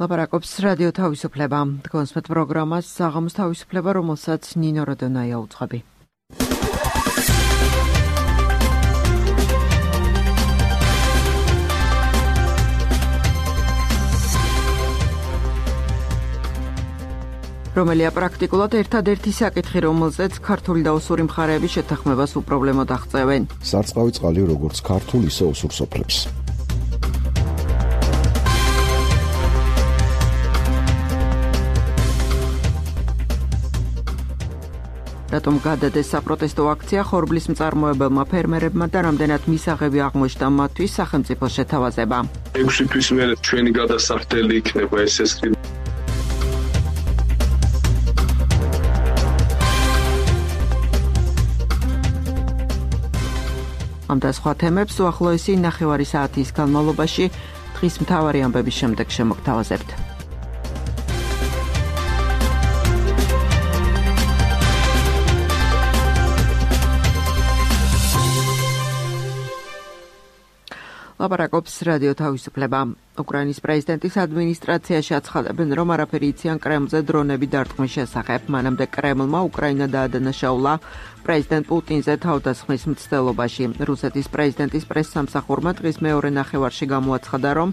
ლაპარაკობს რადიო თავისუფლება. თქვენსმეთ პროგრამას საღამოს თავისუფლება, რომელსაც ნინო როდონაია უძღვები. რომელია პრაქტიკულად ერთადერთი საკითხი, რომელზეც ქართული და ოსური მხარეების შეთანხმებას უპრობლემოდ აღწევენ. სარწყავი წყალი როგორც ქართულ, ისე ოსურ სოფლებს. რატომ გადადეს საპროტესტო აქცია ხორბლის მწარმოებელმა ფერმერებმა და რამდენად მისაღები აღმოჩნდა მათთვის სახელმწიფოს შეთავაზება. 6 თვის მერე ჩვენი გადასახდელი იქნება ეს ამ და სხვა თემებს უახლოესი 9 საათის განმავლობაში დღის მთავარი ამბების შემდეგ შემოგთავაზებთ. ლაპარაკობს რადიო თავისუფლება. უკრაინის პრეზიდენტის ადმინისტრაციაში აცხადებენ, რომ არაფერი იციან კრემლზე დრონები დარტყმის შესახებ. მანამდე კრემლმა უკრაინა დაადანაშაულა პრეზიდენტ პუტინზე თავდასხმის მცდელობაში. რუსეთის პრეზიდენტის პრესსამსახურმა დღის მეორე ნახევარში გამოაცხადა, რომ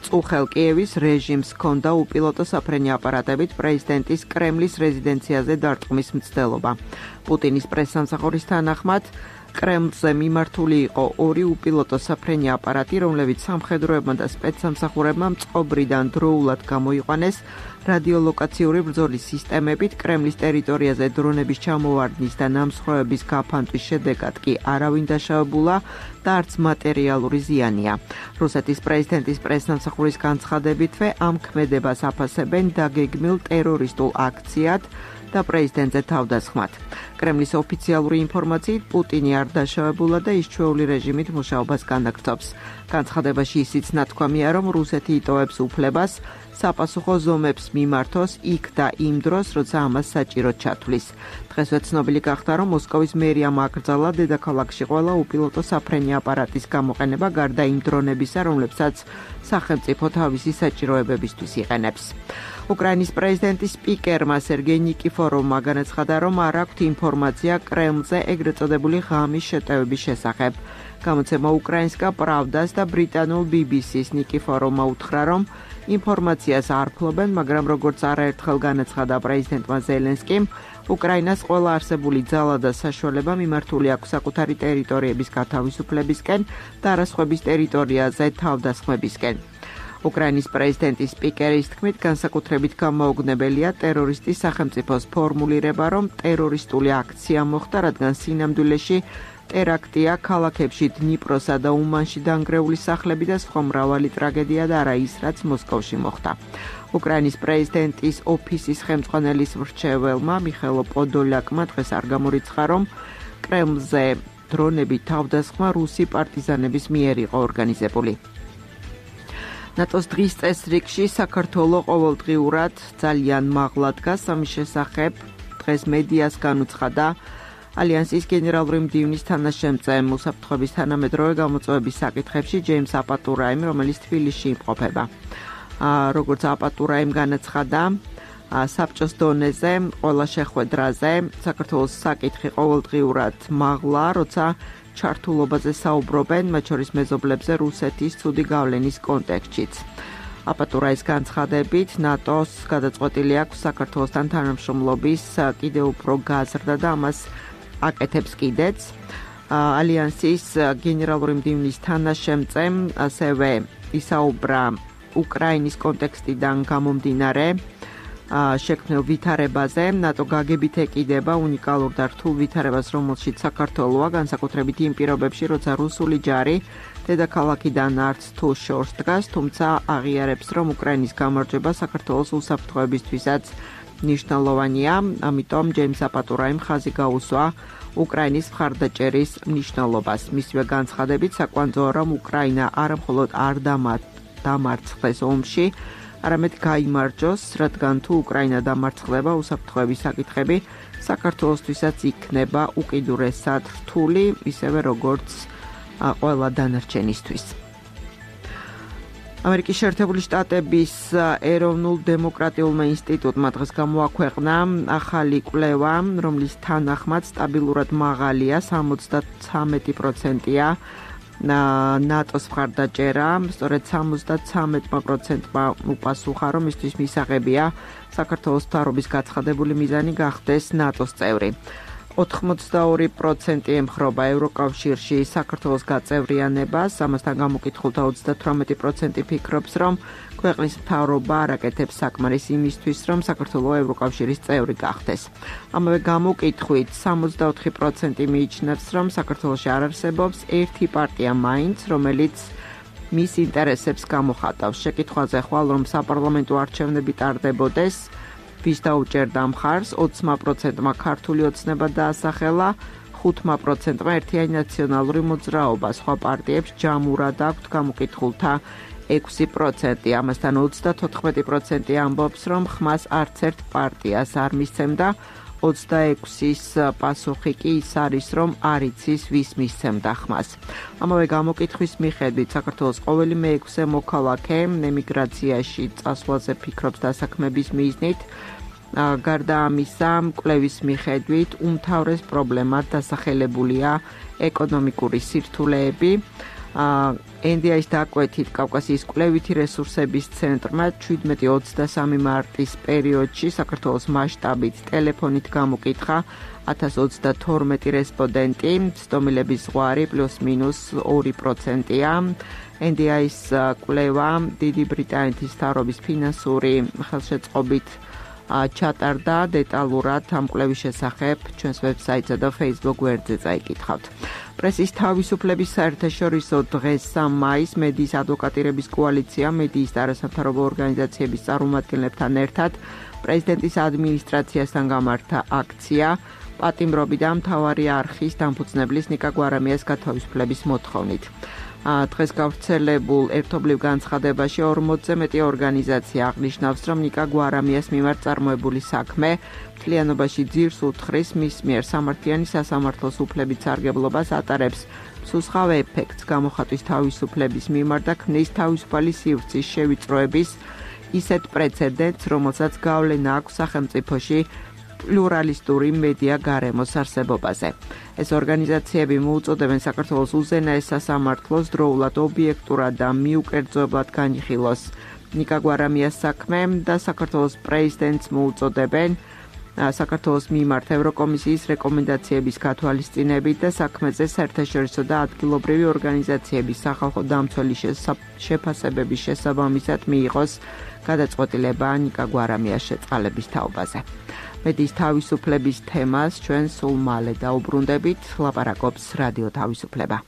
წუხელ კიევის რეჟიმს ჰქონდა უპილოტო საფრენი აპარატებით პრეზიდენტის კრემლის რეზიდენციაზე დარტყმის მცდელობა. პუტინის პრესსამსახურის თანახმად კრემლზე მიმართული იყო 2 უპილოტო საფრენი აპარატი, რომლებიც სამხედროებმა და სპეცსამსახურებმა მწყობრიდან დროულად გამოიყვანეს. რადიოლოკაციური ბრძოლის სისტემებით კრემლის ტერიტორიაზე დრონების ჩამოვარდნის და ნამსხვრევების გაფანტვის შედეგად კი არავინ დაშავებულა და არც მატერიალური ზიანია. რუსეთის პრეზიდენტის პრესსამსახურის განცხადებითვე ამ ქმედებას აფასებენ დაგეგმილ ტერორისტულ აქციად და პრეზიდენტზე თავდასხმად. კრემლის ოფიციალური ინფორმაციით პუტინი არ დაშავებულა და ის ჩვეული რეჟიმით მუშაობას განაგრძობს. განცხადებაში ისიც ნათქვამია, რომ რუსეთი იტოვებს უფლებას საპასუხო ზომებს მიმართოს იქ და იმ დროს, როცა ამას საჭიროდ ჩათვლის. დღესვე ცნობილი გახდა, რომ მოსკოვის მერიამ აკრძალა დედაქალაქში ყველა უპილოტო საფრენი აპარატის გამოყენება გარდა იმ დრონებისა, რომლებსაც სახელმწიფო თავისი საჭიროებებისთვის იყენებს. უკრაინის პრეზიდენტის სპიკერმა სერგეი ნიკიფოროვმა განაცხადა, რომ არ აქვთ ინფორმაცია კრემლზე ეგრეთ წოდებული ღამის შეტევების შესახებ. გამოცემა უკრაინსკა პრავდას და ბრიტანულ BBC-ს ნიკიფოროვმა უთხრა, რომ ინფორმაციას არ ფლობენ, მაგრამ როგორც არაერთხელ განაცხადა პრეზიდენტმა ზელენსკიმ, უკრაინას ყველა არსებული ძალა და საშუალება მიმართული აქვს საკუთარი ტერიტორიების გათავისუფლებისკენ და არასხვების ტერიტორიაზე თავდასხმებისკენ. უკრაინის პრეზიდენტის სპიკერის თქმით, განსაკუთრებით გამოუგნებელია ტერორისტის სახელმწიფოს ფორმულირება, რომ ტერორისტული აქცია მოხდა, რადგან სინამდვილეში ტერაქტია ქალაქებში დნიპროსა და უმანში დანგრეული სახლები და სხვა მრავალი ტრაგედია და არა ის, რაც მოსკოვში მოხდა. უკრაინის პრეზიდენტის ოფისის ხელმძღვანელის მრჩეველმა მიხაილო პოდოლაკმა დღეს არ გამორიცხა, რომ კრემლზე დრონებით თავდასხმა რუსი პარტიზანების მიერ იყო ორგანიზებული. ნატოს დღის წესრიგში საქართველოს ყოველდღიურად ძალიან მაღლა დგას. ამის შესახებ დღეს მედიას განუცხადა ალიანსის გენერალური მდივნის თანაშემწე უსაფრთხოების თანამედროვე გამოწვევების საკითხებში ჯეიმს აპატურაიმ, რომელიც თბილისში იმყოფება. როგორც აპატურაიმ განაცხადა, საბჭოს დონეზე ყველა შეხვედრაზე საქართველოს საკითხი ყოველდღიურად მაღლა, როცა ჩართულობაზე საუბრობენ, მათ შორის მეზობლებზე რუსეთის ცუდი გავლენის კონტექსტშიც. აპატურაის განცხადებით, ნატოს გადაწყვეტილი აქვს საქართველოსთან თანამშრომლობის კიდევ უფრო გაზრდა და ამას აკეთებს კიდეც. ალიანსის გენერალური მდივნის თანაშემწემ ასევე ისაუბრა უკრაინის კონტექსტიდან გამომდინარე შექმნილ ვითარებაზე. ნატო გაგებით ეკიდება უნიკალურ და რთულ ვითარებას, რომელშიც საქართველოა, განსაკუთრებით იმ პირობებში, როცა რუსული ჯარი დედაქალაქიდან არც თუ შორს დგას, თუმცა აღიარებს, რომ უკრაინის გამარჯვება საქართველოს უსაფრთხოებისთვისაც მნიშვნელოვანია. ამიტომ ჯეიმს აპატურაიმ ხაზი გაუსვა უკრაინის მხარდაჭერის მნიშვნელობას. მისივე განცხადებით საკვანძოა, რომ უკრაინა არა მხოლოდ არ დამარცხდეს ომში, არამედ გაიმარჯოს, რადგან თუ უკრაინა დამარცხდება, უსაფრთხოების საკითხები საქართველოსთვისაც იქნება უკიდურესად რთული, ისევე როგორც ყველა დანარჩენისთვის. ამერიკის შეერთებული შტატების ეროვნულ დემოკრატიულმა ინსტიტუტმა დღეს გამოაქვეყნა ახალი კვლევა, რომლის თანახმად სტაბილურად მაღალია 73%-ია ნატოს მხარდაჭერა, სწორედ 73%-მა უპასუხა, რომ მისთვის მისაღებია საქართველოს მთავრობის გაცხადებული მიზანი გახდეს ნატოს წევრი. 82% ემხრობა ევროკავშირში საქართველოს გაწევრიანებას, ამასთან გამოკითხულთა 38% ფიქრობს, რომ ქვეყნის მთავრობა არ აკეთებს საკმარის იმისთვის, რომ საქართველო ევროკავშირის წევრი გახდეს. ამავე გამოკითხვით 64% მიიჩნევს, რომ საქართველოში არ არსებობს ერთი პარტია მაინც, რომელიც მის ინტერესებს გამოხატავს. შეკითხვაზე ხვალ, რომ საპარლამენტო არჩევნები ტარდებოდეს, ვის დაუჭერდა მხარს, 20%-მა ქართული ოცნება დაასახელა, 5%-მა ერთიანი ნაციონალური მოძრაობა, სხვა პარტიებს ჯამურად აქვთ გამოკითხულთა 6%, ამასთან 34% ამბობს, რომ ხმას არც ერთ პარტიას არ მისცემდა, 26-ის პასუხი კი ის არის, რომ არ იცის, ვის მისცემდა ხმას. ამავე გამოკითხვის მიხედვით საქართველოს ყოველი მე-6 მოქალაქე ემიგრაციაში წასვლაზე ფიქრობს დასაქმების მიზნით. გარდა ამისა, კვლევის მიხედვით უმთავრეს პრობლემად დასახელებულია ეკონომიკური სირთულეები. NDI-ის დაკვეთით კავკასიის კვლევითი რესურსების ცენტრმა 17-23 მარტის პერიოდში საქართველოს მასშტაბით ტელეფონით გამოკითხა 1032 რესპონდენტი, ცდომილების ზღვარი +-2%-ია. NDI-ის კვლევა დიდი ბრიტანეთის მთავრობის ფინანსური ხელშეწყობით ჩატარდა. დეტალურად ამ კვლევის შესახებ ჩვენს ვებსაიტსა და Facebook გვერდზე წაიკითხავთ. პრესის თავისუფლების საერთაშორისო დღეს 3 მაისს მედიის ადვოკატირების კოალიცია მედიის და არასამთავრობო ორგანიზაციების წარმომადგენლებთან ერთად პრეზიდენტის ადმინისტრაციასთან გამართა აქცია პატიმრობი და მთავარი არხის დამფუძნებლის ნიკა გვარამიას გათავისუფლების მოთხოვნით. დღეს გავრცელებულ ერთობლივ განცხადებაში 40-ზე მეტი ორგანიზაცია აღნიშნავს, რომ ნიკა გვარამიას მიმართ წარმოებული საქმე მთლიანობაში ძირს უთხრის მის მიერ სამართლიანი სასამართლოს უფლებით სარგებლობას ატარებს მსუსხავ ეფექტს გამოხატვის თავისუფლების მიმართ და ქმნის თავისუფალი სივრცის შევიწროების ისეთ პრეცედენტს, რომელსაც გავლენა აქვს სახელმწიფოში პლურალისტური მედია გარემოს არსებობაზე. ეს ორგანიზაციები მოუწოდებენ საქართველოს უზენაეს სასამართლოს დროულად ობიექტურად და მიუკერძოებლად განიხილოს ნიკა გვარამიას საქმე და საქართველოს პრეზიდენტს მოუწოდებენ საქართველოს მიმართ ევროკომისიის რეკომენდაციების გათვალისწინებით და საქმეზე საერთაშორისო და ადგილობრივი ორგანიზაციების სახალხო დამცველი შეფასებების შესაბამისად მიიღოს გადაწყვეტილება ნიკა გვარამიას შეწყალების თაობაზე. მედიის თავისუფლების თემას ჩვენ სულ მალე დაუბრუნდებით, ლაპარაკობს რადიო თავისუფლება.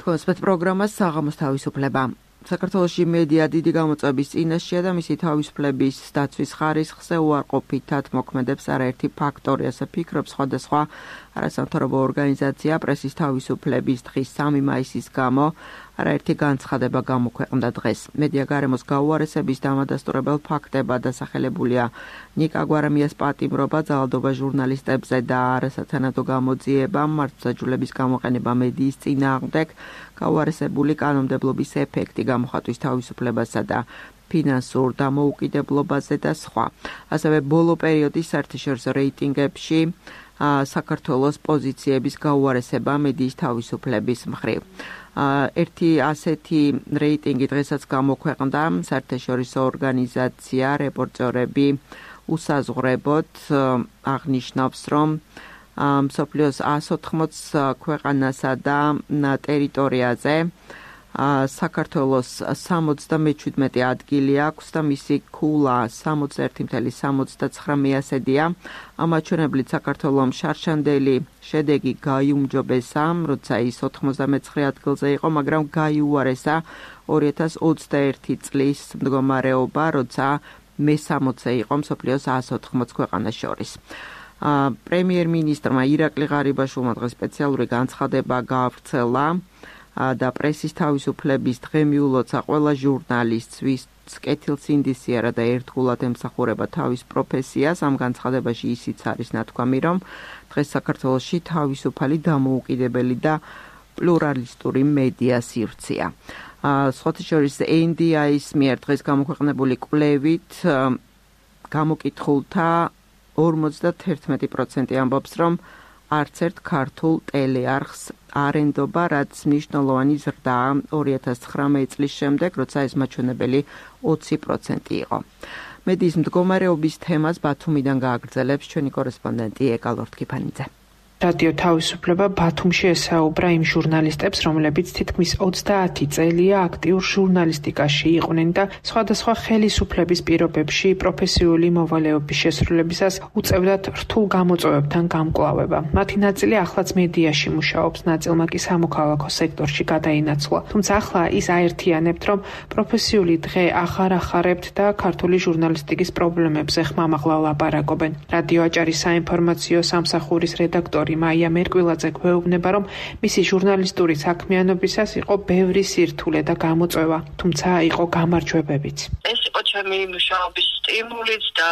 თქვენ სპეც პროგრამას საღამოს თავისუფლება. საქართველოში მედია დიდი გამოწვევის წინაშეა და მისი თავისუფლების დაცვის ხარისხზე უარყოფითად მოქმედებს არაერთი ფაქტორი, ასე ფიქრობს სხვადასხვა არასამთავრობო ორგანიზაცია პრესის თავისუფლების დღის 3 მაისის გამო არაერთი განცხადება გამოქვეყნდა დღეს. მედია გარემოს გაუარესების დამადასტურებელ ფაქტებად დასახელებულია ნიკა გვარამიას პატიმრობა, ძალადობა ჟურნალისტებზე და არასათანადო გამოძიება, მართლმსაჯულების გამოყენება მედიის წინააღმდეგ, გაუარესებული კანონმდებლობის ეფექტი გამოხატვის თავისუფლებასა და ფინანსურ დამოუკიდებლობაზე და სხვა. ასევე ბოლო პერიოდის საერთაშორისო რეიტინგებში საქართველოს პოზიციების გაუარესება მედიის თავისუფლების მხრივ. ერთი ასეთი რეიტინგი დღესაც გამოქვეყნდა საერთაშორისო ორგანიზაცია რეპორტერები უსაზღვრებოდ აღნიშნავს, რომ მსოფლიოს 180 ქვეყანასა და ტერიტორიაზე საქართველოს 77 ადგილი აქვს და მისი ქულა 61,79%-ია. ამაჩვენებლით საქართველოს შარშანდელი შედეგი გაიუმჯობესა, როცა ის 99 ადგილზე იყო, მაგრამ გაიუარესა 2021 წლის მდგომარეობა, როცა მე-60-ზე იყო მსოფლიოს 180 ქვეყანას შორის. პრემიერ-მინისტრმა ირაკლი ღარიბაშვილმა დღეს სპეციალური განცხადება გაავრცელა და პრესის თავისუფლების დღე მიულოცა ყველა ჟურნალისტს, კეთილს ინდისიარა და ერთგულად ემსახურება თავის პროფესიას. ამ განცხადებაში ისიც არის ნათქვამი, რომ დღეს საქართველოში თავისუფალი, დამოუკიდებელი და პლურალისტური მედია სივრცეა. სხვათა შორის NDI-ის მიერ დღეს გამოქვეყნებული კვლევით გამოკითხულთა 51% ამბობს, რომ არც ერთ ქართულ ტელეარხს არ ენდობა, რაც მნიშვნელოვანი ზრდაა 2019 წლის შემდეგ, როცა ეს მაჩვენებელი 20% იყო. მედიის მდგომარეობის თემას ბათუმიდან გააგრძელებს ჩვენი კორესპონდენტი ეკალორთქიფანიძე. რადიო თავისუფლება ბათუმში ესაუბრა იმ ჟურნალისტებს, რომლებიც თითქმის 30 წელია აქტიურ ჟურნალისტიკაში იყვნენ და სხვადასხვა ხელისუფლების პირობებში პროფესიული მოვალეობის შესრულებისას უწევდათ რთულ გამოწვევებთან გამკლავება. მათი ნაწილი ახლაც მედიაში მუშაობს, ნაწილმა კი სამოქალაქო სექტორში გადაინაცვლა. თუმცა ახლა ის აერთიანებთ, რომ პროფესიული დღე აღარ ახარებთ და ქართული ჟურნალისტიკის პრობლემებზე ხმამაღლა ლაპარაკობენ. რადიო აჭარის საინფორმაციო სამსახურის რედაქტორი მაია მერკვილაძე გვეუბნება, რომ მისი ჟურნალისტური საქმიანობისას იყო ბევრი სირთულე და გამოწვევა, თუმცა იყო გამარჯვებებიც. ეს იყო ჩემი მუშაობის სტიმულიც და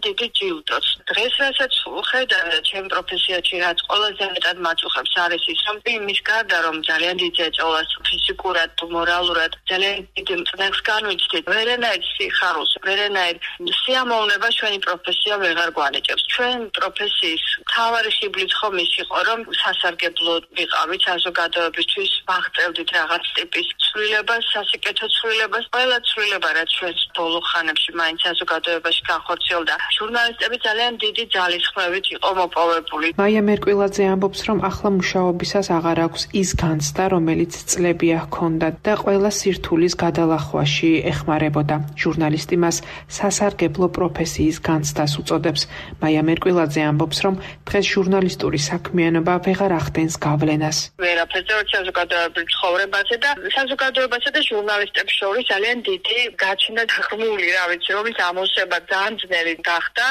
დიდი ჯილდოც. დღეს რასაც ვხედავ ჩემ პროფესიაში, რაც ყველაზე მეტად მაწუხებს არის ის, რომ იმის გარდა რომ ძალიან დიდ ეწოლას ფიზიკურად, მორალურად, ძალიან დიდ წნეხს განვიცდით, ვერანაირ სიხარულს, ვერანაირ სიამოვნება ჩვენი პროფესია ვეღარ გვანიჭებს. ჩვენ პროფესიის მთავარი ხიბლიც ხომ ის იყო, რომ სასარგებლო ვიყავით საზოგადოებისთვის, ვაღწევდით რაღაც ტიპის ცვლილებას, სასიკეთო ცვლილებას, ყველა ცვლილება, რაც ჩვენს ბოლო ხანებში მაინც საზოგადოებაში განხორციელდა. ჟურნალისტები ძალიან დიდი ძალისხმევით იყო მოპოვებული. მაია მერკვილაძე ამბობს, რომ ახლა მუშაობისას აღარ აქვს ის განცდა, რომელიც წლებია ჰქონდა და ყველა სირთულის გადალახვაში ეხმარებოდა. ჟურნალისტი მას სასარგებლო პროფესიის განცდას უწოდებს. მაია მერკვილაძე ამბობს, რომ დღეს ჟურნალისტური საქმიანობა ვეღარ ახდენს გავლენას. ვერაფერზე საზოგადოებრივ ცხოვრებაზე და საზოგადოებასა და ჟურნალისტებს შორის ძალიან დიდი გაჩნდა ღრმული, რა ვიცი, რომლის ამოსება ძალიან ძნელი გახდა.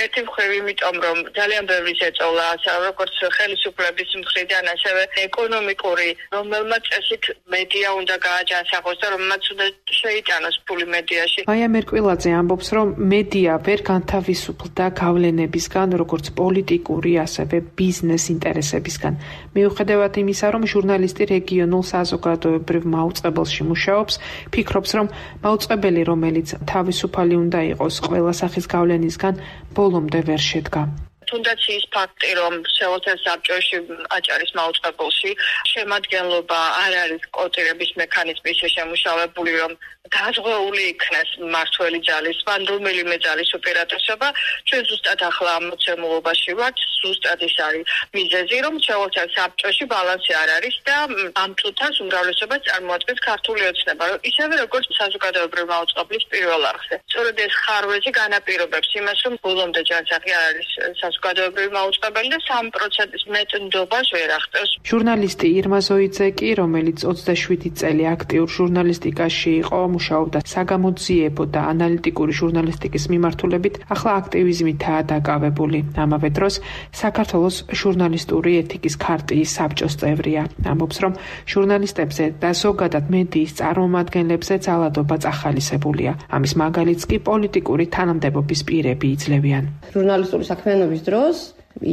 ერთი მხრივ იმიტომ, რომ ძალიან ბევრი ეწოლა, როგორც ხელისუფლების მხრიდან, ასევე ეკონომიკური, რომელმაც წესით მედია უნდა გააჯანსაღოს და რომელმაც უნდა შეიტანოს ფული მედიაში. მაია მერკვილაძე ამბობს, რომ მედია ვერ განთავისუფლდა გავლენებისგან, როგორც პოლიტიკური, ასევე ბიზნეს ინტერესებისგან. მიუხედავად იმისა, რომ ჟურნალისტი რეგიონულ საზოგადოებრივ მაუწყებელში მუშაობს, ფიქრობს, რომ მაუწყებელი, რომელიც თავისუფალი უნდა იყოს ყველა სახის გავლენისგან, ბოლომდე ვერ შედგა. თუნდაც ის ფაქტი, რომ შეუძლია საბჭოში აჭარის მაუწყებელში შემადგენლობა არ არის კოტირების მექანიზმის შემუშავებული, რომ დაზღვეული იქნას მართველი ძალის, ან რომელიმე ძალის უპირატესობა, ჩვენ ზუსტად ახლა ამ მოცემულობაში ვართ, ზუსტად ის არის მიზეზი, რომ შეუძლია საბჭოში ბალანსი არ არის და ამ წუთას უმრავლესობას წარმოადგენს ქართული ოცნება, ისევე როგორც საზოგადოებრივ მაუწყებლის პირველ არხზე. სწორედ ეს ხარვეზი განაპირობებს იმას, რომ ბოლომდე ჯანსაღი არ არის საზოგადოებრივი მაუწყებელი და 3%-ის მეტ ნდობას ვერ ახდენს. ჟურნალისტი ირმა ზოიძე კი, რომელიც 27 წელი აქტიურ ჟურნალისტიკაში იყო, მუშაობდა საგამოძიებო და ანალიტიკური ჟურნალისტიკის მიმართულებით, ახლა აქტივიზმითაა დაკავებული. ამავე დროს საქართველოს ჟურნალისტური ეთიკის ქარტიის საბჭოს წევრია. ამბობს, რომ ჟურნალისტებზე და ზოგადად მედიის წარმომადგენლებზე ძალადობა წახალისებულია. ამის მაგალითს კი პოლიტიკური თანამდებობის პირები იძლევიან. ჟურნალისტური საქმიანობის დროს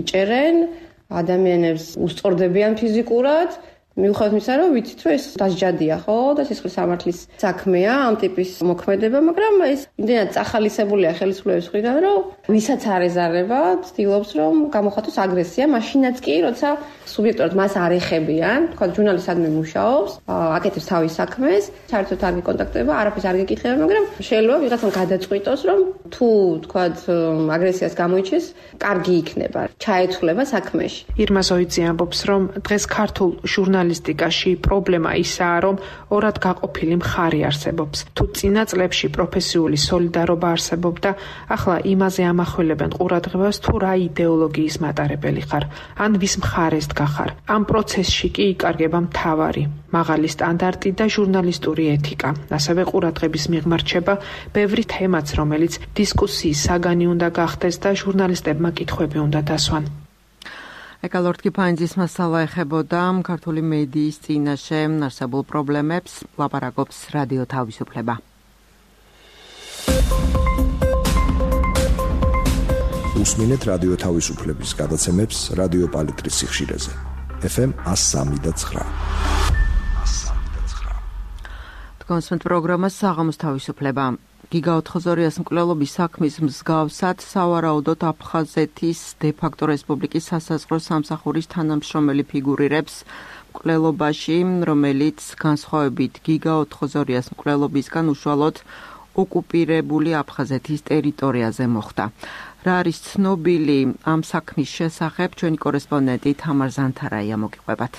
იჭერენ, ადამიანებს უსწორდებიან ფიზიკურად, მიუხედავად იმისა, რომ ვიცით, რომ ეს დასჯადია, ხო, და სისხლის სამართლის საქმეა ამ ტიპის მოქმედება, მაგრამ ეს იმდენად წახალისებულია ხელისუფლების მხრიდან, რომ ვისაც არ ეზარება, ცდილობს, რომ გამოხატოს აგრესია, მაშინაც კი, როცა სუბიექტურად მას არ ეხებიან, თქვა ჟურნალისტადმი მუშაობს, აკეთებს თავის საქმეს, საერთოდ არ გიკონტაქტდება, არაფერს არ გეკითხება, მაგრამ შეიძლება ვიღაცამ გადაწყვიტოს, რომ თუ თქვა აგრესიას გამოიჩეს, კარგი იქნება, ჩაეთვლება საქმეში. ირმა ზოიძე ამბობს, რომ დღეს ქართულ ჟურნალისტიკაში პრობლემა ისაა, რომ ორად გაყოფილი მხარი არსებობს. თუ წინა წლებში პროფესიული სოლიდარობა არსებობდა, ახლა იმაზე ამახვილებენ ყურადღებას, თუ რა იდეოლოგიის მატარებელი ხარ, ან ვის მხარეს გახარ. ამ პროცესში კი იკარგება მთავარი, მაღალი სტანდარტი და ჟურნალისტური ეთიკა. ასევე ყურადღების მიღმარჩება ბევრი თემაც, რომელიც დისკუსიის საგანი უნდა გახდეს და ჟურნალისტებმა კითხვები უნდა დასვან. ეკალორთქიფანიძის მასალა ეხებოდა ქართული მედიის წინაშე არსებულ პრობლემებს, ლაპარაკობს რადიო თავისუფლება. უსმინეთ რადიო თავისუფლების გადაცემებს რადიო პალიტრის სიხშირეზე. FM 103.9. კონსვენთ პროგრამას საღამოს თავისუფლება. გიგა 402-ას მკვლელობის საქმის მსგავსად სავარაუდოდ აფხაზეთის დე-ფაქტო რესპუბლიკის სასაზღვრო სამსახურის თანამშრომელი ფიგურირებს მკვლელობაში, რომელიც განსხვავებით გიგა 402-ას მკვლელობისგან უშუალოდ ოკუპირებული აფხაზეთის ტერიტორიაზე მოხდა. რა არის ცნობილი ამ საქმის შესახებ, ჩვენი კორესპონდენტი თამარ ზანთარაია მოგიყვებათ.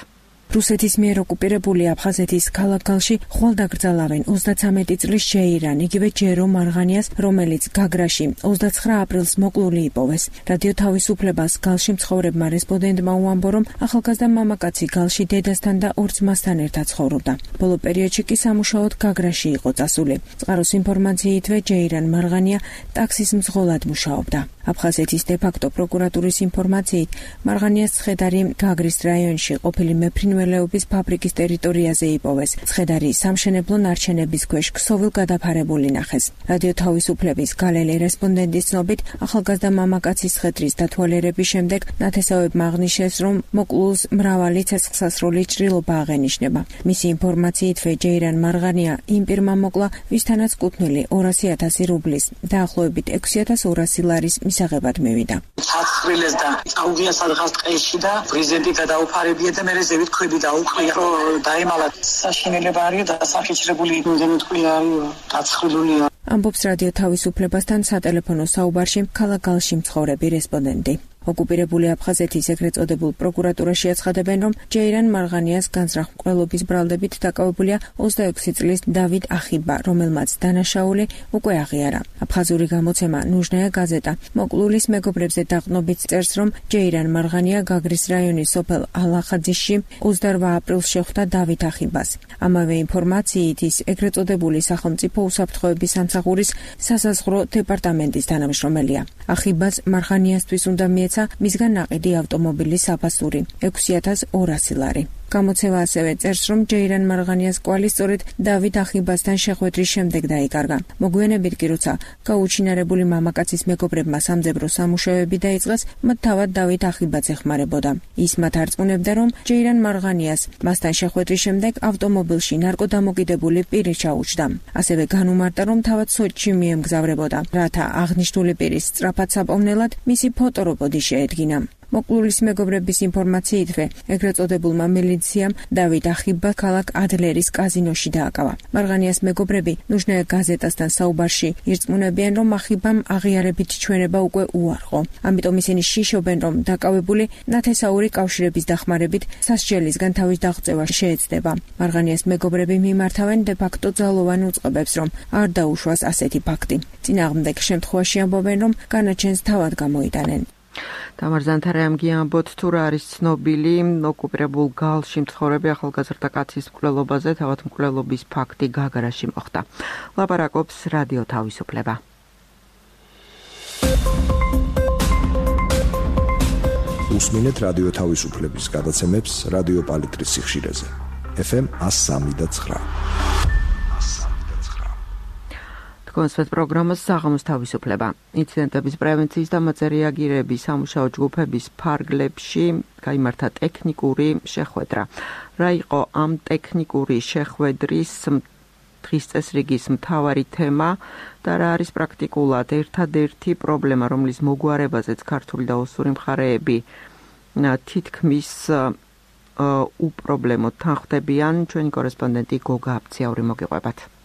რუსეთის მიერ ოკუპირებული აფხაზეთის ქალაქ გალში ხვალ დაკრძალავენ 33 წლის შეირან, იგივე ჯერო მარღანიას, რომელიც გაგრაში 29 აპრილს მოკლული იპოვეს. რადიო თავისუფლებას გალში მცხოვრებმა რესპონდენტმა უამბო, რომ ახალგაზრდა მამაკაცი გალში დედასთან და ორ ძმასთან ერთად ცხოვრობდა. ბოლო პერიოდში კი სამუშაოდ გაგრაში იყო წასული. წყაროს ინფორმაციითვე ჯეირან მარღანია ტაქსის მძღოლად მუშაობდა. აფხაზეთის დე-ფაქტო პროკურატურის ინფორმაციით, მარღანიას ცხედარი გაგრის რაიონში ყოფილი მეფრინველეობის ფაბრიკის ტერიტორიაზე იპოვეს. ცხედარი სამშენებლო ნარჩენების ქვეშ ქსოვილ გადაფარებული ნახეს. რადიო თავისუფლების გალელი რესპონდენტის ცნობით, ახალგაზრდა მამაკაცის ცხედრის დათვალიერების შემდეგ ნათესავებმა აღნიშნეს, რომ მოკლულს მრავალი ცეცხლსასროლი ჭრილობა აღენიშნება. მისი ინფორმაციითვე ჯეირან მარღანია იმ პირმა მოკლა, ვისთანაც კუთვნილი 200,000 რუბლის, დაახლოებით 6,200 ლარის მისაღებად მივიდა. ცაცხრილეს და წაუღია სადღაც ტყეში და პრეზიდენტი გადაუფარებია და მერე ზევით ქვები დაუყრია, რომ დაემალა. საშინელება არის და სახეჭრებული იმდენად ქვია არის დაცხრილულია. ამბობს რადიო თავისუფლებასთან სატელეფონო საუბარში ქალაქ გალში მცხოვრები რესპონდენტი. ოკუპირებული აფხაზეთის ეგრეთ წოდებულ პროკურატურაში აცხადებენ, რომ ჯეირან მარღანიას განზრახ მკვლელობის ბრალდებით დაკავებულია 26 წლის დავით ახიბა, რომელმაც დანაშაული უკვე აღიარა. აფხაზური გამოცემა ნუჟნაია გაზეტა მოკლულის მეგობრებზე დაყრდნობით წერს, რომ ჯეირან მარღანია გაგრის რაიონის სოფელ ალახაძიში 28 აპრილს შეხვდა დავით ახიბას. ამავე ინფორმაციით ის ეგრეთ წოდებული სახელმწიფო უსაფრთხოების სამსახურის სასაზღვრო დეპარტამენტის თანამშრომელია. ახიბას მარღანიასთვის უნდა მიეცა მისგან ნაყიდი ავტომობილის საფასური 6,200 ლარი. გამოცემა ასევე წერს, რომ ჯეირან მარღანიას კვალი სწორედ დავით ახიბასთან შეხვედრის შემდეგ დაიკარგა. მოგვიანებით კი როცა გაუჩინარებული მამაკაცის მეგობრებმა სამძებრო სამუშაოები დაიწყეს, მათ თავად დავით ახიბაც ეხმარებოდა. ის მათ არწმუნებდა, რომ ჯეირან მარღანიას მასთან შეხვედრის შემდეგ ავტომობილში ნარკოდამოკიდებული პირი ჩაუჩდა. ასევე განუმარტა, რომ თავად სოჭში მიემგზავრებოდა, რათა აღნიშნული პირის სწრაფად საპოვნელად მისი ფოტორობოდი შეედგინა. მოკლულის მეგობრების ინფორმაციითვე, ეგრეთ წოდებულმა მილიციამ დავით ახიბა ქალაქ ადლერის კაზინოში დააკავა. მარღანიას მეგობრები ნუჟნაია გაზეტასთან საუბარში ირწმუნებიან, რომ ახიბამ აღიარებით ჩვენება უკვე უარყო. ამიტომ ისინი შიშობენ, რომ დაკავებული ნათესაური კავშირების დახმარებით სასჯელისგან თავის დაღწევა შეეცდება. მარღანიას მეგობრები მიმართავენ დე-ფაქტო ძალოვან უწყებებს, რომ არ დაუშვას ასეთი ფაქტი. წინააღმდეგ შემთხვევაში ამბობენ, რომ განაჩენს თავად გამოიტანენ. თამარ ზანთარაიამ გიამბოთ, თუ რა არის ცნობილი ოკუპირებულ გალში მცხოვრები ახალგაზრდა კაცის მკვლელობაზე, თავად მკვლელობის ფაქტი გაგრაში მოხდა. ლაპარაკობს რადიო თავისუფლება. უსმინეთ რადიო თავისუფლების გადაცემებს რადიო პალიტრის სიხშირეზე. FM 103.9. კონსვენთ პროგრამას საღამოს თავისუფლება. ინციდენტების პრევენციის და მათზე რეაგირების სამუშაო ჯგუფების ფარგლებში გაიმართა ტექნიკური შეხვედრა. რა იყო ამ ტექნიკური შეხვედრის დღის წესრიგის მთავარი თემა და რა არის პრაქტიკულად ერთადერთი პრობლემა, რომლის მოგვარებაზეც ქართული და ოსური მხარეები თითქმის უპრობლემოდ თანხმდებიან, ჩვენი კორესპონდენტი გოგა აბციაური მოგიყვებათ.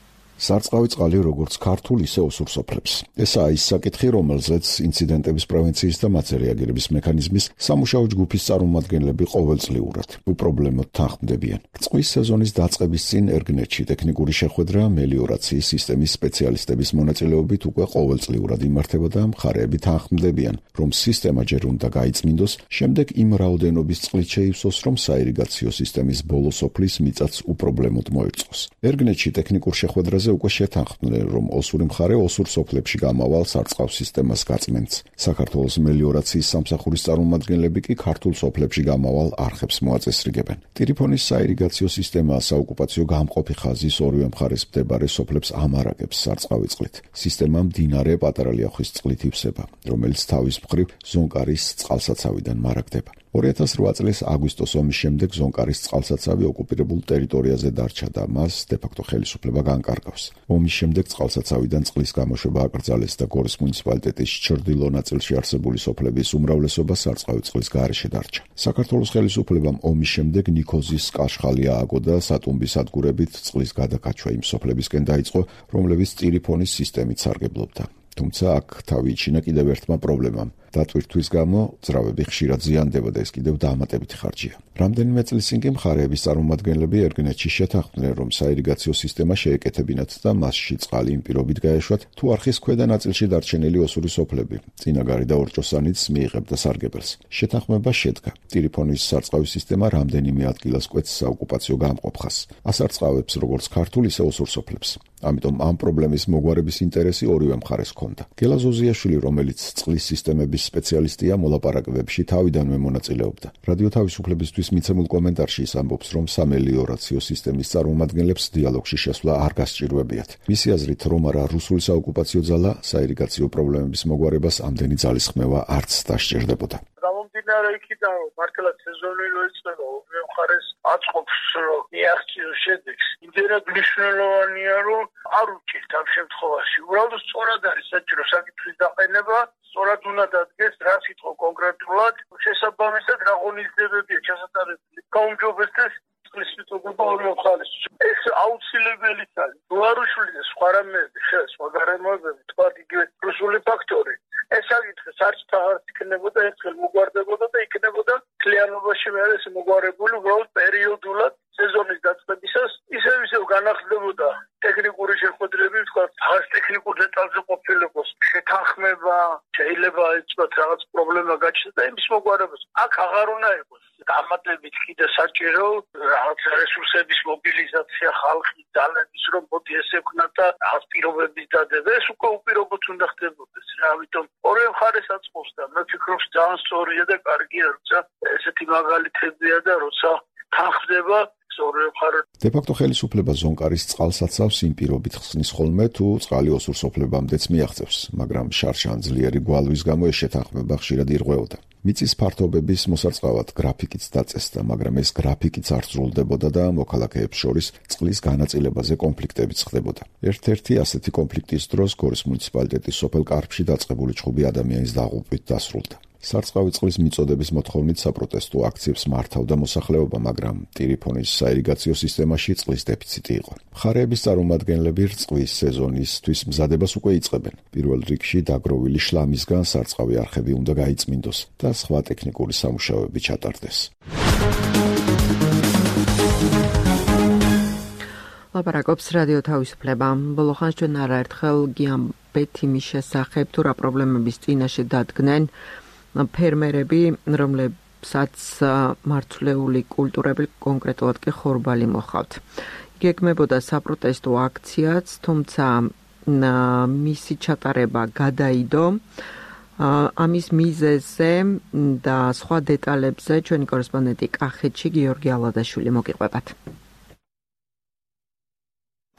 სარწყავი წყალი როგორც ქართულ, ისე ოსურ სოფლებს. ესაა ის საკითხი, რომელზეც ინციდენტების პრევენციის და მათზე რეაგირების მექანიზმის სამუშაო ჯგუფის წარმომადგენლები ყოველწლიურად უპრობლემოდ თანხმდებიან. წყვის სეზონის დაწყების წინ ერგნეთში ტექნიკური შეხვედრა მელიორაციის სისტემის სპეციალისტების მონაწილეობით უკვე ყოველწლიურად იმართება და მხარეები თანხმდებიან, რომ სისტემა ჯერ უნდა გაიწმინდოს, შემდეგ იმ რაოდენობის წყლით შეივსოს, რომ საირიგაციო სისტემის ბოლო სოფლის მიწაც უპრობლემოდ მოერწყოს. ერგნეთში ტექნიკურ შეხვედრაზე უკვე შეთანხმდნენ, რომ ოსური მხარე ოსურ სოფლებში გამავალ სარწყავს სისტემას გაწმენდს. საქართველოს მელიორაციის სამსახურის წარმომადგენლები კი ქართულ სოფლებში გამავალ არხებს მოაწესრიგებენ. ტირიფონის საირიგაციო სისტემა საოკუპაციო გამყოფი ხაზის ორივე მხარეს მდებარე სოფლებს ამარაგებს სარწყავი წყლით. სისტემა მდინარე პატარა ლიახვის წყლით ივსება, რომელიც თავის მხრივ ზონკარის წყალსაცავიდან მარაგდება. 2008 წლის აგვისტოს ომის შემდეგ ზონკარის წყალსაცავი ოკუპირებულ ტერიტორიაზე დარჩა და მას დე-ფაქტო ხელისუფლება განკარგავს. ომის შემდეგ წყალსაცავიდან წყლის გამოშვება აკრძალეს და გორის მუნიციპალიტეტის ჩრდილო ნაწილში არსებული სოფლების უმრავლესობა სარწყავი წყლის გარეშე დარჩა. საქართველოს ხელისუფლებამ ომის შემდეგ ნიქოზის კაშხალი ააგო და სატუმბის სადგურებით წყლის გადაკაჩვა იმ სოფლებისკენ დაიწყო, რომლებიც ტირიფონის სისტემით სარგებლობდა. თუმცა აქ თავი იჩინა კიდევ ერთმა პრობლემამ. დატვირთვის გამო ძრავები ხშირად ზიანდება და ეს კიდევ დაამატებითი ხარჯია. რამდენიმე წლის წინ კი მხარეების წარმომადგენლები ერგენეთში შეთანხმდნენ, რომ საირიგაციო სისტემა შეეკეთებინათ და მასში წყალი იმ პირობით გაეშვათ, თუ არხის ქვედა ნაწილში დარჩენილი ოსური სოფლები წინაგარი და ორჭოსანიც მიიღებდა სარგებელს. შეთანხმება შედგა. ტირიფონის სარწყავი სისტემა რამდენიმე ადგილას კვეთს საოკუპაციო გამყოფ ხაზს. ასარწყავებს როგორც ქართულ, ისე ოსურ სოფლებს. ამიტომ ამ პრობლემის მოგვარების ინტერესი ორივე მხარეს ჰქონდა. გელა ზოზიაშვილი, რომელიც წყლის სისტემების სპეციალისტია, მოლაპარაკებებში თავიდანვე მონაწილეობდა. რადიო თავისუფლებისთვის მიცემულ კომენტარში ის ამბობს, რომ სამელიორაციო სისტემის წარმომადგენლებს დიალოგში შესვლა არ გასჭირვებიათ. მისი აზრით, რომ არა რუსული საოკუპაციო ძალა საირიგაციო პრობლემების მოგვარებას ამდენი ძალისხმევა არც დასჭირდებოდა. გამომდინარე იქიდან, რომ მართლაც სეზონი რო იწყება, ორივე მხარეს აწყობს, რომ მიაღწიოს შედეგს. იმდენად მნიშვნელოვანია, რომ არ უჭირთ ამ შემთხვევაში. უბრალოდ სწორად არის საჭირო საკითხის დაყენება, სწორად უნდა დადგეს, რა სიტყვა კონკრეტულად, შესაბამისად რა ღონისძიებებია ჩასატარებელი. გაუმჯობესდეს წყლის მიტოვება ორივე მხარეს. ეს აუცილებელიც არის. უარუშული და სხვა რამეები, სხვა გარემოებები, თქვა იგივე რუსული ფაქტორი. ეს საკითხი საერთოდ არ იქნებოდა ერთხელ მოგვარდებოდა და იქნებოდა კლიანობაში მე ეს მოგვარებული უბრალოდ პერიოდულად სეზონის დაწყებისას ისევ განახლდებოდა ტექნიკური შეხვედრები, თქვა ხას ტექნიკურ დეტალზე ყოფილიყოს შეთანხმება, შეიძლება ეცბათ რაღაც პრობლემა გაჩნდეს და იმის მოგვარებას. აქ აღარ უნდა იყოს დამატებით კიდე საჭირო რაღაც რესურსების მობილიზაცია, ხალხის ძალების რომ მოდი ესე ვქნათ და რაღაც პირობების დადება. ეს უკვე უპირობოდ უნდა ხდებოდეს. ამიტომ ორივე მხარეს აწყობს და მე ვფიქრობ ძალიან სწორია და კარგია, როცა ესეთი მაგალითებია და როცა თანხდება დე-ფაქტო ხელისუფლება ზონკარის წყალსაცავს იმ პირობით ხსნის ხოლმე, თუ წყალი ოსურ სოფლებამდეც მიაღწევს, მაგრამ შარშან ძლიერი გვალვის გამო ეს შეთანხმება ხშირად ირღვეოდა. მიწის ფართობების მოსარწყავად გრაფიკიც დაწესდა, მაგრამ ეს გრაფიკიც არ სრულდებოდა და მოქალაქეებს შორის წყლის განაწილებაზე კონფლიქტებიც ხდებოდა. ერთ-ერთი ასეთი კონფლიქტის დროს გორის მუნიციპალიტეტის სოფელ კარფში დაწყებული ჭხუბი ადამიანის დაღუპვით დასრულდა. სარწყავი წყლის მიწოდების მოთხოვნით საპროტესტო აქციებს მართავდა მოსახლეობა, მაგრამ ტირიფონის საირიგაციო სისტემაში წყლის დეფიციტი იყო. მხარეების წარმომადგენლები რწყვის სეზონისთვის მზადებას უკვე იწყებენ. პირველ რიგში დაგროვილი შლამისგან სარწყავი არხები უნდა გაიწმინდოს და სხვა ტექნიკური სამუშაოები ჩატარდეს. ლაპარაკობს რადიო თავისუფლება. ბოლო ხანს ჩვენ არაერთხელ გიამბეთ იმის შესახებ, თუ რა პრობლემების წინაშე დადგნენ ფერმერები, რომლებსაც მარცვლეული კულტურები, კონკრეტულად კი ხორბალი მოჰყავთ. გეგმებოდა საპროტესტო აქციაც, თუმცა მისი ჩატარება გადაიდო. ამის მიზეზზე და სხვა დეტალებზე ჩვენი კორესპონდენტი კახეთში გიორგი ალადაშვილი მოგიყვებათ.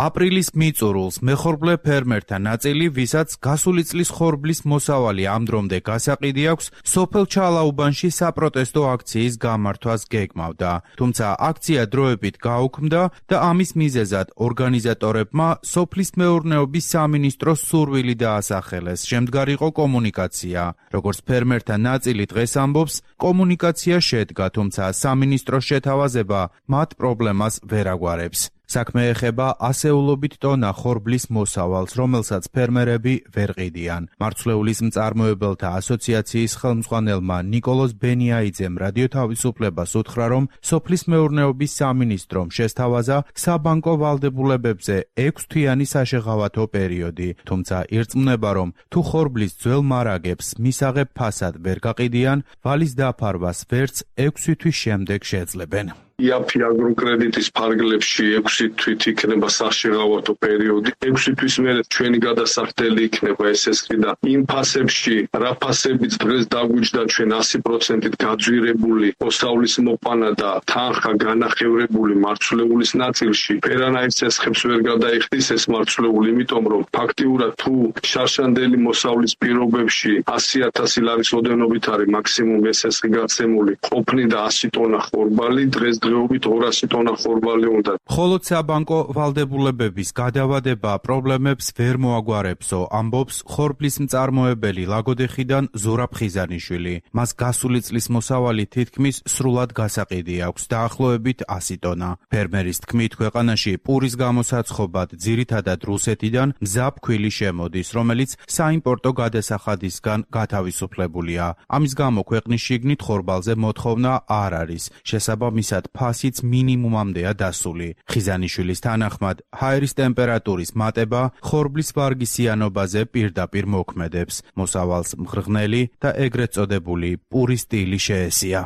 აპრილის მიწურულს მეხორბლე ფერმერთა ნაწილი, ვისაც გასული წლის ხორბლის მოსავალი ამ დრომდე გასაყიდი აქვს, სოფელ ჩალაუბანში საპროტესტო აქციის გამართვას გეგმავდა. თუმცა აქცია დროებით გაუქმდა და ამის მიზეზად ორგანიზატორებმა სოფლის მეურნეობის სამინისტროს სურვილი დაასახელეს. შემდგარიყო კომუნიკაცია. როგორც ფერმერთა ნაწილი დღეს ამბობს, კომუნიკაცია შედგა, თუმცა სამინისტროს შეთავაზება მათ პრობლემას ვერ აგვარებს. საქმე ეხება ასეულობით ტონა ხორბლის მოსავალს, რომელსაც ფერმერები ვერ ყიდიან. მარცვლეულის მწარმოებელთა ასოციაციის ხელმძღვანელმა ნიკოლოზ ბენიაიძემ რადიო თავისუფლებას უთხრა, რომ სოფლის მეურნეობის სამინისტრომ შესთავაზა საბანკო ვალდებულებებზე 6 თვიანი საშეღავათო პერიოდი, თუმცა ირწმუნება, რომ თუ ხორბლის ძველ მარაგებს მისაღებ ფასად ვერ გაყიდიან, ვალის დაფარვას ვერც 6 თვის შემდეგ შეძლებენ. იაფი აგროკრედიტის ფარგლებში 6 თვით იქნება საშეღავათო პერიოდი. 6 თვის მერე ჩვენი გადასახდელი იქნება SSK და იმ ფასებში, რა ფასებიც დღეს დაგვიჯდა ჩვენ 100%-ით გაძვირებული მოსავლის მოყვანა და თანხა განახევრებული მარცვლეულის ნაწილში, ვერანაირ ცესხებს ვერ გადაიხდის ეს მარცვლეული, იმიტომ რომ ფაქტიურად თუ შარშანდელი მოსავლის პირობებში 100,000 ლარის ოდენობით არის მაქსიმუმ SSK გაცემული, ყოფნიდა 100 ტონა ხორბალი, დღესდღეობით 200 ტონა ხორბალი უნდა. ხოლო საბანკო ვალდებულებების გადავადება პრობლემებს ვერ მოაგვარებსო, ამბობს ხორბლის მწარმოებელი ლაგოდეხიდან ზურაბ ხიზანიშვილი. მას გასული წლის მოსავალი თითქმის სრულად გასაყიდი აქვს, დაახლოებით 100 ტონა. ფერმერის თქმით, ქვეყანაში პურის გამოსაცხობად ძირითადად რუსეთიდან მზა ფქვილი შემოდის, რომელიც საიმპორტო გადასახადისგან გათავისუფლებულია. ამის გამო ქვეყნის შიგნით ხორბალზე მოთხოვნა არ არის, შესაბამისად ფასიც მინიმუმამდეა დასული. ხიზანიშვილის თანახმად, ჰაერის ტემპერატურის მატება ხორბლის ვარგისიანობაზე პირდაპირ მოქმედებს. მოსავალს მღრღნელი და ეგრეთ წოდებული პურის სტილი შეესია.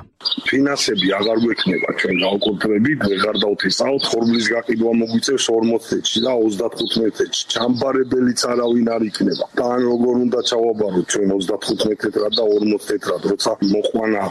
ფინანსები აღარ გვექნება ჩვენ გავკუთვნებით, ვეღარ დავთესავთ, ხორბლის გაყიდვა მოგვიწევს 40 წუთში და 35 წუთში. ჩამბარებელიც არავინ არ იქნება. და ან როგორ უნდა ჩავაბაროთ ჩვენ 35 თეთრად და 40 თეთრად, როცა მოყვანა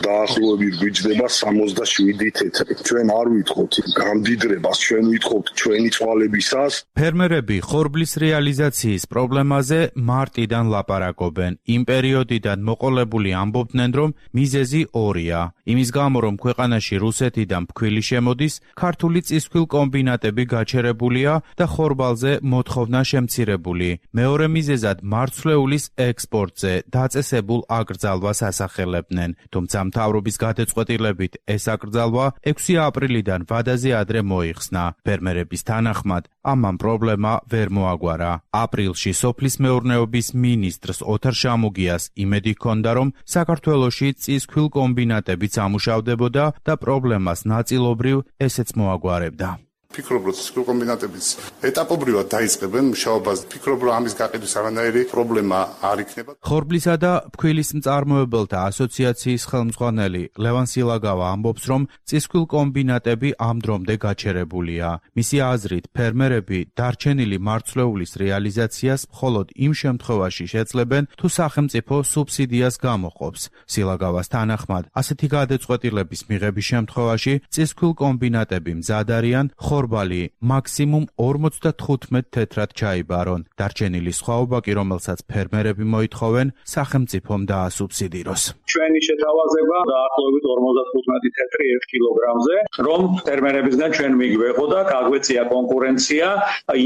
დაახლოებით გვიჯდება 67 თეთრი. ჩვენ არ ვითხოვთ გამდიდრებას, ჩვენ ვითხოვთ ჩვენი წვალებისას. ფერმერები ხორბლის რეალიზაციის პრობლემაზე მარტიდან ლაპარაკობენ. იმ პერიოდიდან მოყოლებული ამბობდნენ, რომ მიზეზი ორია. იმის გამო, რომ ქვეყანაში რუსეთიდან ფქვილი შემოდის, ქართული წისქვილ კომბინატები გაჩერებულია და ხორბალზე მოთხოვნა შემცირებული. მეორე მიზეზად მარცვლეულის ექსპორტზე დაწესებულ აკრძალვას ასახელებდნენ. თუმცა მთავრობის გადაწყვეტილებით ეს აკრძალვა 6 აპრილიდან ვადაზე ადრე მოიხსნა. ფერმერების თანახმად, ამან პრობლემა ვერ მოაგვარა. აპრილში სოფლის მეურნეობის მინისტრს ოთარ შამუგიას იმედი ჰქონდა, რომ საქართველოში წისქვილ კომბინატებიც ამუშავდებოდა და პრობლემას ნაწილობრივ ესეც მოაგვარებდა. ფიქრობ, რომ ცისქვილ კომბინატებიც ეტაპობრივად დაიწყებენ მუშაობას. ფიქრობ, რომ ამის გაყიდვის არანაირი პრობლემა არ იქნება. ხორბლისა და ფქვილის მწარმოებელთა ასოციაციის ხელმძღვანელი ლევან სილაგავა ამბობს, რომ წისქვილ კომბინატები ამ დრომდე გაჩერებულია. მისი აზრით, ფერმერები დარჩენილი მარცვლეულის რეალიზაციას მხოლოდ იმ შემთხვევაში შეძლებენ, თუ სახელმწიფო სუბსიდიას გამოყოფს. სილაგავას თანახმად, ასეთი გადაწყვეტილების მიღების შემთხვევაში წისქვილ კომბინატები მზად არიან ხორბალი მაქსიმუმ 45 თეთრად ჩაიბარონ. დარჩენილი სხვაობა კი, რომელსაც ფერმერები მოითხოვენ, სახელმწიფომ დაასუბსიდიროს. ჩვენი შეთავაზება დაახლოებით 55 თეთრი 1 კილოგრამზე, რომ ფერმერებისგან ჩვენ მიგვეღო და გაგვეწია კონკურენცია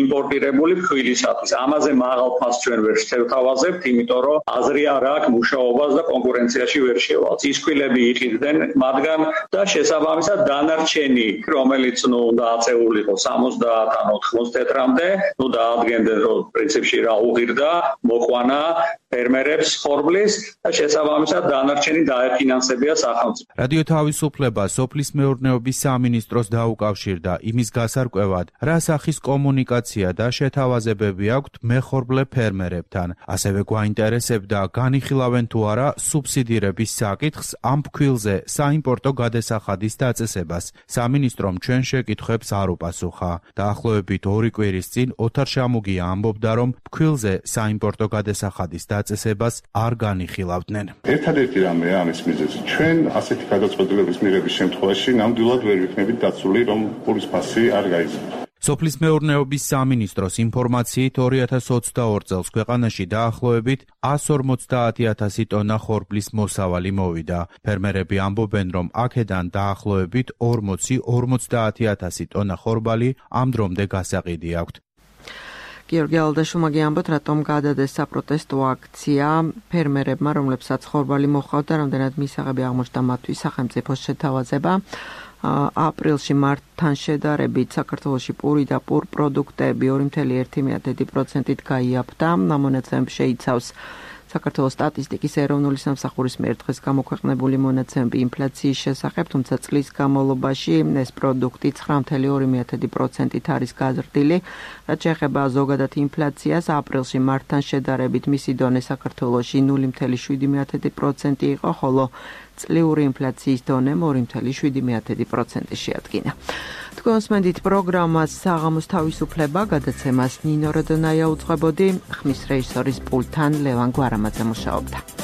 იმპორტირებული ფქვილისათვის. ამაზე მაღალ ფასს ჩვენ ვერ შევთავაზებთ, იმიტომ რომ აზრი არ აქვს მუშაობას და კონკურენციაში ვერ შევალთ. წისქვილები იყიდნენ მათგან და შესაბამისად დანარჩენი, რომელიც დააწეულიყო 70-დან 80 თეთრამდე, დაადგენდნენ, რომ პრინციპში რა უღირდა მოყვანა ფერმერებს ხორბლის და შესაბამისად დანარჩენი დაეფინანსებია სახელმწიფო. რადიო თავისუფლება სოფლის მეურნეობის სამინისტროს დაუკავშირდა იმის გასარკვევად, რა სახის კომუნიკაცია და შეთავაზებები აქვთ მეხორბლე ფერმერებთან. ასევე გვაინტერესებდა, განიხილავენ თუ არა სუბსიდირების საკითხს ამ ფქვილზე საიმპორტო გადასახადის დაწესებას. სამინისტრომ ჩვენ შეკითხვებს არ უპასუხა. დაახლოებით 2 კვირის წინ ოთარ შამუგია ამბობდა, რომ ფქვილზე საიმპორტო გადასახადის დაწესებას არ განიხილავდნენ. ერთადერთი რამეა ამის მიზეზი. ჩვენ ასეთი გადაწყვეტილების მიღების შემთხვევაში ნამდვილად ვერ ვიქნებით დაცული, რომ პურის ფასი არ გაიზარდა. სოფლის მეურნეობის სამინისტროს ინფორმაციით 2022 წელს ქვეყანაში დაახლოებით 150,000 ტონა ხორბლის მოსავალი მოვიდა. ფერმერები ამბობენ, რომ აქედან დაახლოებით 40-50,000 ტონა ხორბალი ამ დრომდე გასაყიდი აქვთ. გიორგი ალდაშუმა გიამბოთ, რატომ გადადეს საპროტესტო აქცია ფერმერებმა, რომლებსაც ხორბალი მოჰყავთ და რამდენად მისაღები აღმოჩნდა მათთვის სახელმწიფოს შეთავაზება. აპრილში მარტთან შედარებით საქართველოში პური და პურ პროდუქტები 2,1%-ით გაიაფთა. ამონაცემები შეიცავს საქართველოს სტატისტიკის ეროვნული სამსახურის მიერ დღეს გამოქვეყნებული მონაცემები ინფლაციის შესახებ, თუმცა წლის განმავლობაში ეს პროდუქტი 9,2%-ით არის გაზრდილი. რაც შეეხება ზოგადად ინფლაციას, აპრილში მარტთან შედარებით მისი დონე საქართველოში 0,7% იყო, ხოლო წლიური ინფლაციის დონე 2.7% შეადგინა. თქვენს მენდით პროგრამას საღამოს თავისუფლება გადაცემას ნინო როდონაია უძღვებოდი, ხმის რეჟისორის პულტთან ლევან გვარამაძე მუშაობდა.